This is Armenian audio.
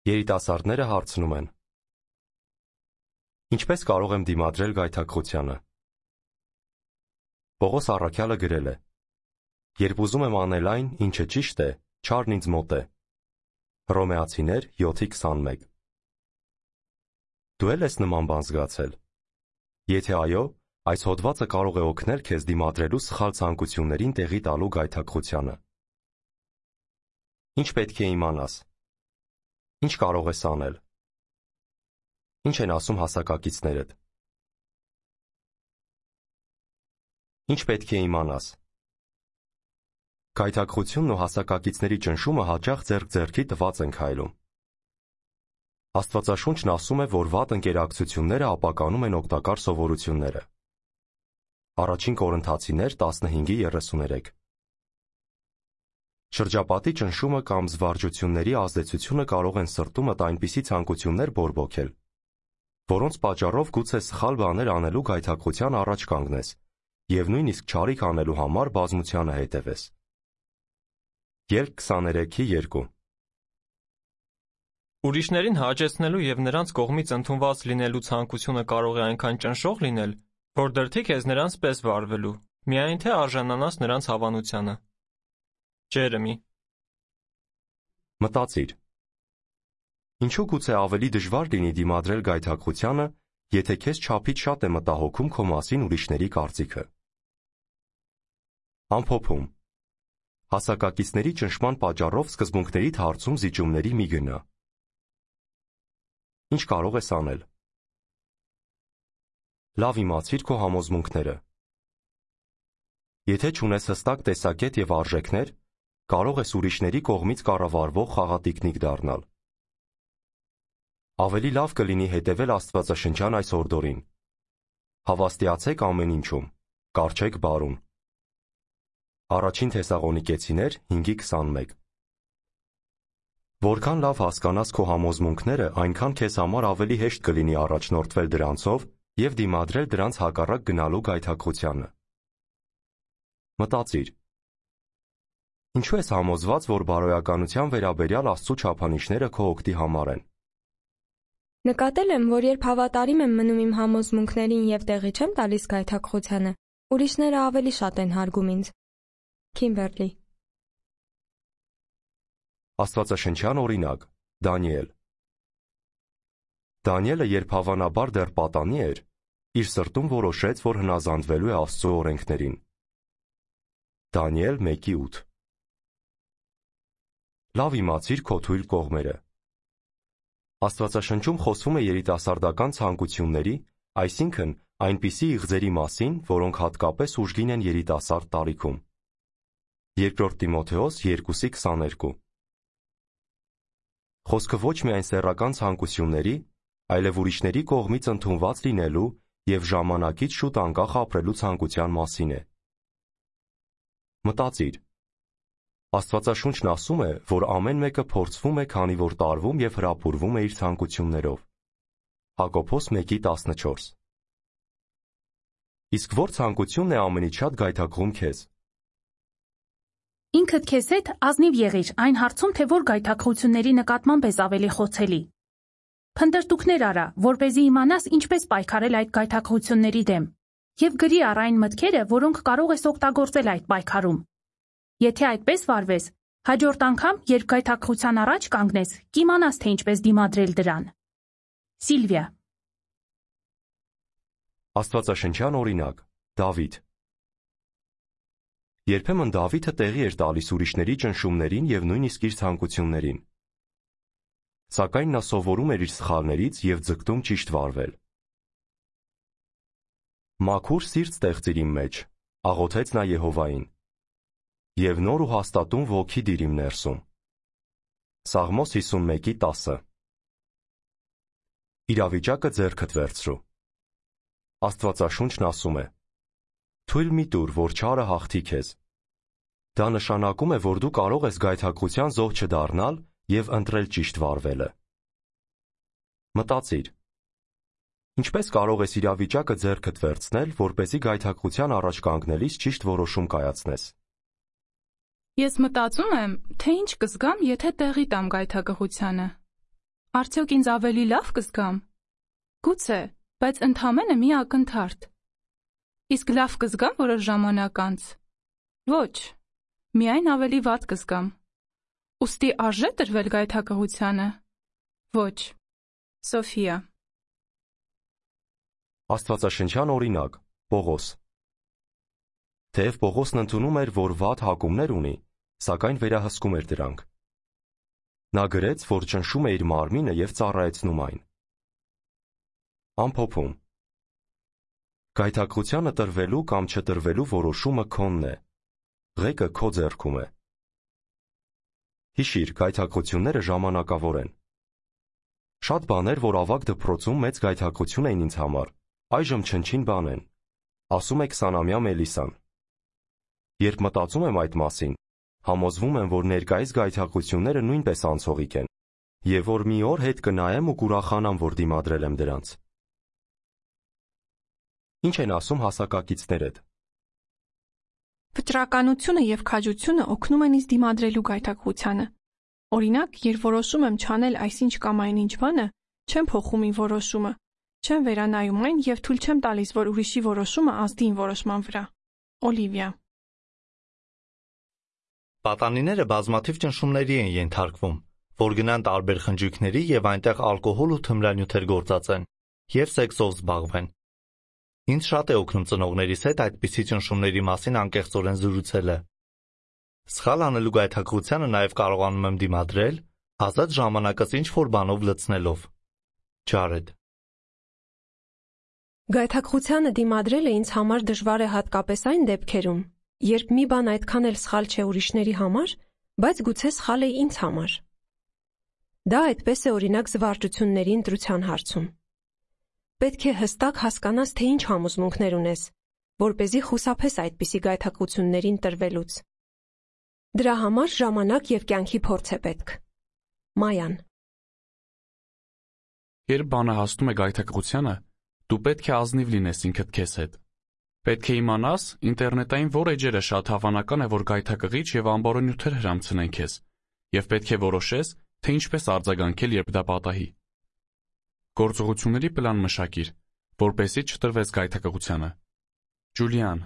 Երիտասարդները հարցնում են. Ինչպես կարող եմ դիմադրել գայթակղությանը։ Պողոս առաքյալը գրել է. Երբ ուզում եմ անել այն, ինչը ճիշտ է, չարն ինձ մոտ է։ Հռոմեացիներ 7:21։ Դու էլ ես նման բան զգացել։ Եթե այո, այս հոդվածը կարող է օգնել քեզ դիմադրելու սխալ ցանկություններին տեղի տալու գայթակղությանը։ Ինչ պետք է իմանաս։ Ինչ կարող ես անել։ Ինչ են ասում հասակակիցներդ։ Ինչ պետք է իմանաս։ Գայթակղությունն ու հասակակիցների ճնշումը հաճախ ձեռք-ձեռքի տված են քայլում։ Աստվածաշունչն ասում է, որ վատ ընկերակցությունները ապականում են օգտակար սովորությունները։ Առաջին Կորինթացիներ 15:33։ Շրջապատի ճնշումը կամ զվարճությունների ազդեցությունը կարող են սրտումդ այնպիսի ցանկություններ բորբոքել, որոնց պատճառով գուցե սխալ բաներ անելու գայթակղության առաջ կանգնես և նույնիսկ չարիք անելու համար բազմությանը հետևես։ Ելք 23:2։ Ուրիշներին հաճեցնելու և նրանց կողմից ընդունված լինելու ցանկությունը կարող է այնքան ճնշող լինել, որ դրդի քեզ նրանց պես վարվելու, միայն թե արժանանաս նրանց հավանությանը։ Ջերեմի։ Մտածիր. ինչու գուցե ավելի դժվար լինի դիմադրել գայթակղությանը, եթե քեզ չափից շատ է մտահոգում քո մասին ուրիշների կարծիքը։ Ամփոփում. հասակակիցների ճնշման պատճառով սկզբունքներիդ հարցում զիջումների մի գնա։ Ինչ կարող ես անել։ Լավ իմացիր քո համոզմունքները։ Եթե չունես հստակ տեսակետ և արժեքներ, կարող ես ուրիշների կողմից կառավարվող խաղատիկնիկ դառնալ։ Ավելի լավ կլինի հետևել աստվածաշնչյան այս օրդորին. հավաստիացեք ամեն ինչում, կառչեք բարուն։ Առաջին Թեսաղոնիկեցիներ 5:21։ Որքան լավ հասկանաս քո համոզմունքները, այնքան քեզ համար ավելի հեշտ կլինի առաջնորդվել դրանցով և դիմադրել դրանց հակառակ գնալու գայթակղությանը։ Մտածիր. ինչու ես համոզված, որ բարոյականության վերաբերյալ Աստծո չափանիշները քո օգտի համար են։ Նկատել եմ, որ երբ հավատարիմ եմ մնում իմ համոզմունքներին և տեղի չեմ տալիս գայթակղությանը, ուրիշները ավելի շատ են հարգում ինձ։ Քիմբերլի։ Աստվածաշնչյան օրինակ՝ Դանիել։ Դանիելը, երբ հավանաբար դեռ պատանի էր, իր սրտում որոշեց, որ հնազանդվելու է Աստծո օրենքներին։ Դանիել 1:8։ Լավ իմացիր քո թույլ կողմերը։ Աստվածաշնչում խոսվում է երիտասարդական ցանկությունների, այսինքն այնպիսի իղձերի մասին, որոնք հատկապես ուժգին են երիտասարդ տարիքում։ Երկրորդ Տիմոթեոս 2:22։ Խոսքը ոչ միայն սեռական ցանկությունների, այլև ուրիշների կողմից ընդունված լինելու և ժամանակից շուտ անկախ ապրելու ցանկության մասին է։ Մտածիր. Աստվածաշունչն ասում է, որ ամեն մեկը փորձվում է, քանի որ տարվում և հրապուրվում է իր ցանկություններով։ Հակոբոս 1:14։ Իսկ որ ցանկությունն է ամենից շատ գայթակղում քեզ։ Ինքդ քեզ հետ ազնիվ եղիր այն հարցում, թե որ գայթակղությունների նկատմամբ ես ավելի խոցելի։ Փնտրտուքներ արա, որպեսզի իմանաս ինչպես պայքարել այդ գայթակղությունների դեմ, և գրի առ այն մտքերը, որոնք կարող ես օգտագործել այդ պայքարում։ Եթե այդպես վարվես, հաջորդ անգամ, երբ գայթակղության առաջ կանգնես, կիմանաս, թե ինչպես դիմադրել դրան։ Սիլվիա։ Աստվածաշնչյան օրինակ՝ Դավիթ։ Երբեմն Դավիթը տեղի էր տալիս ուրիշների ճնշումներին և նույնիսկ իր ցանկություններին։ Սակայն նա սովորում էր իր սխալներից և ձգտում ճիշտ վարվել։ Մաքուր սիրտ ստեղծիր իմ մեջ, աղոթեց նա Եհովային, և նոր ու հաստատուն ոգի դիր իմ ներսում։ Սաղմոս 51:10։ Իրավիճակը ձեռքդ վերցրու։ Աստվածաշունչն ասում է. թույլ մի տուր, որ չարը հաղթի քեզ։ Դա նշանակում է, որ դու կարող ես գայթակղության զոհ չդառնալ և ընտրել ճիշտ վարվելը։ Մտածիր. ինչպես կարող ես իրավիճակը ձեռքդ վերցնել, որպեսզի գայթակղության առաջ կանգնելիս ճիշտ որոշում կայացնես։ Ես մտածում եմ, թե ինչ կզգամ, եթե տեղի տամ գայթակղությանը։ Արդյոք ինձ ավելի լավ կզգամ։ Գուցե, բայց ընդամենը մի ակնթարթ։ Իսկ լավ կզգամ որոշ ժամանակ անց։ Ոչ, միայն ավելի վատ կզգամ։ Ուստի արժե տրվել գայթակղությանը։ Ոչ։ Սոֆիա։ Աստվածաշնչյան օրինակ՝ Պողոս։ Թեև Պողոսն ընդունում էր, որ վատ հակումներ ունի, սակայն վերահսկում էր դրանք։ Նա գրեց, որ ճնշում է իր մարմինը և ծառայեցնում այն։ Ամփոփում. Գայթակղությանը տրվելու կամ չտրվելու որոշումը քոնն է, ղեկը քո ձեռքում է։ Հիշիր, գայթակղությունները ժամանակավոր են։ Շատ բաներ, որ ավագ դպրոցում մեծ գայթակղություն էին ինձ համար, այժմ չնչին բան են, ասում է 20-ամյա Մելիսան։ Երբ մտածում եմ այդ մասին, համոզվում եմ, որ ներկայիս գայթակղությունները նույնպես անցողիկ են, և որ մի օր հետ կնայեմ ու կուրախանամ, որ դիմադրել եմ դրանց։ Ինչ են ասում հասակակիցներդ։ Վճռականությունը և քաջությունը օգնում են ինձ դիմադրելու գայթակղությանը։ Օրինակ, երբ որոշում եմ չանել այսինչ կամ այնինչ բանը, չեմ փոխում իմ որոշումը, չեմ վերանայում այն և թույլ չեմ տալիս, որ ուրիշի որոշումը ազդի իմ որոշման վրա։ Օլիվիա։ Պատանիները բազմաթիվ ճնշումների են ենթարկվում, որ գնան տարբեր խնջույքների և այնտեղ ալկոհոլ ու թմրանյութեր գործածեն, և սեքսով զբաղվեն։ Ինձ շատ է օգնում ծնողներիս հետ այդպիսի ճնշումների մասին անկեղծորեն զրուցելը։ Սխալ անելու գայթակղությանը նաև կարողանում եմ դիմադրել, ազատ ժամանակս ինչ-որ բանով լցնելով։ Ջարեդ։ Գայթակղությանը դիմադրելը ինձ համար դժվար է հատկապես այն դեպքերում, երբ մի բան այդքան էլ սխալ չէ ուրիշների համար, բայց գուցե սխալ է ինձ համար։ Դա այդպես է օրինակ զվարճությունների ընտրության հարցում։ Պետք է հստակ հասկանաս, թե ինչ համոզմունքներ ունես, որպեսզի խուսափես այդպիսի գայթակղություններին տրվելուց։ Դրա համար ժամանակ և կյանքի փորձ է պետք։ Մայան։ Երբ բանը հասնում է գայթակղությանը, դու պետք է ազնիվ լինես ինքդ քեզ հետ։ Պետք է իմանաս, ինտերնետային որ էջերը շատ հավանական է, որ գայթակղիչ և ամբարոնյութեր հրամցնեն քեզ, և պետք է որոշես, թե ինչպես արձագանքել, երբ դա պատահի։ Գործողությունների պլան մշակիր, որպեսզի չտրվես գայթակղությանը։ Ջուլիան։